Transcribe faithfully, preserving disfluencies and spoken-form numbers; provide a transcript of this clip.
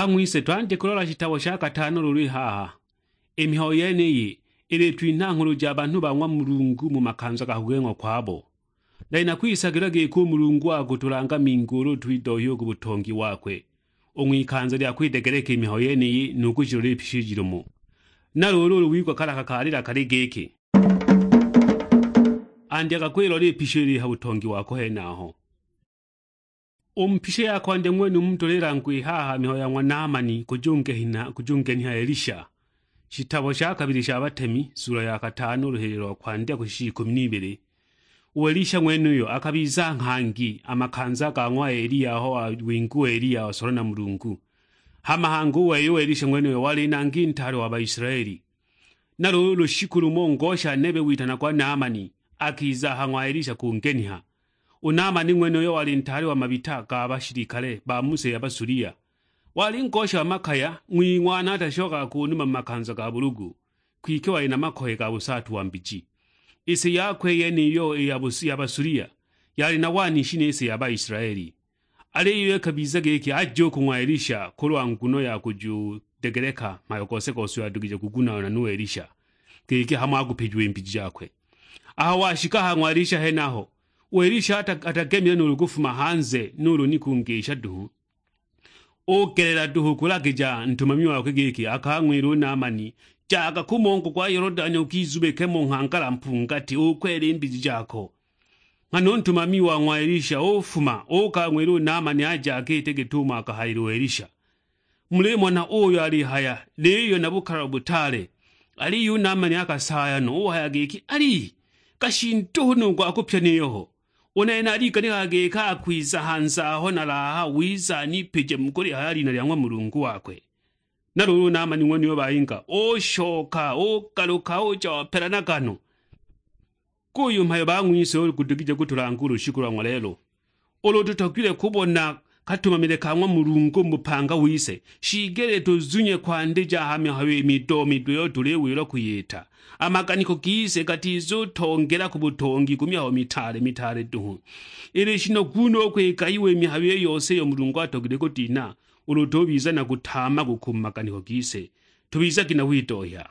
Bang'wise, twandye kulola shitabo sha katano lulu i haha. I mihayo yeniyi ilitwinha nghulu ja banhu ba ng'wa Mulungu mu makanza ga kugeng'wa kwabo. Nali nakwisagilwa giki u Mulungu akutulanga mingi ulu twidohya u ku butongi wakwe, u ng'wikanza lya kwidegeleka i mihayo yeniyi nu kushilola i pisha i jilumo. Na luulu ulu wigwa kalaka kalila kali giki, andyaga kwilola i pisha ili ha butongi wako henaho. U mu pisha ya kwandya ng'wenumu tulilangwa i haha mihayo ya ng'wa Naamani kujungenha-, kujungeniha Elisha. Shitabo sha kabili sha Batemi, sula ya katano, luhililo lwa kwandya kushisha ikumi n'ibili. U Elisha ng'wenuyo akabiza nghangi a makanza ga ng'wa Eliya aho wawinga u Eliya wasolwa na Mulungu. Hama hangi u wei u Elisha ng'wenuyo wali nangi ntaale wa Baisilaeli. Na luulu lushiku lumo ngosha nebe witanagwa Naamani akiza ha ng'wa Elisha kungeniha. U Naamani ng'wenuyo wali ntaale wa mabita ga bashilikale ba mu si ya Basulia. Wali ngosha wa makaya, ng'wing'wana atashokaga ku numa mu makanza ga bulugu, kwike wali na makoye ga busaatu wa mbiji. I si yakwe yeniyo i ya Bus-, ya Basulia, yali na wanishi ni si ya Baisilaeli. Aliyo ikabiza giki aje u ku ng'wa Elisha kulwa nguno ya kujudegeleka mhayo gose-gose uyo adugije kugunaana nu Elisha, giki hamo akupijiwa i mbiji jakwe. Aho washika ha ng'wa Elisha henaho, u Elisha ata-, atagemile nuulu kufuma hanze nuulu ni kungisha duhu. Ugelela duhu kulagija ntumami wakwe giki akang'wile u Naamani, "Jaga ku mongo gwa Yolodani ukizubike mo nghangala mpungati, ukwele i mbiji jako." Nghana u ntumami wa ng'wa Elisha ufuma, uukang'wila u Naamani aje akiite git'umo akahayila u Elisha. Mulimona uyo alihaya, niyo na bukalalo butaale. Aliyo u Naamani akasaaya no, uhaya giki, "Ali, kashi nduhu nu gwa kupya niyo ho? U nene naliganikaga giki akwiza hanze aho nalaaha, wiza anipije mu kulihaya lina lya ng'wa Mulungu wakwe." Na luulu u Naamani ng'wenuyo bayinga, ushoka, ugaluka, uja wapelanaga no. Guyu mhayo bang'wise ulu gudugije kutulanga u lushiku lwa ng'wa lelo. Ulu tutogilwe kubona katumamile ka ng'wa Mulungu mu bupanga wise, shiigelile tuzunye kwandija a ha mihayo i mido-mido iyo tuliwilwa kwiyita. A maganiko gise gatizutongela ku butongi ku mihayo mitaale-mitaale duhu. Ili shinogu no u kwikayiwa i mihayo i yose iyo Mulungu atogilwe kudinha, ulu tubiza na kutaama ku ku maganiko gise. Tubizagi na widohya.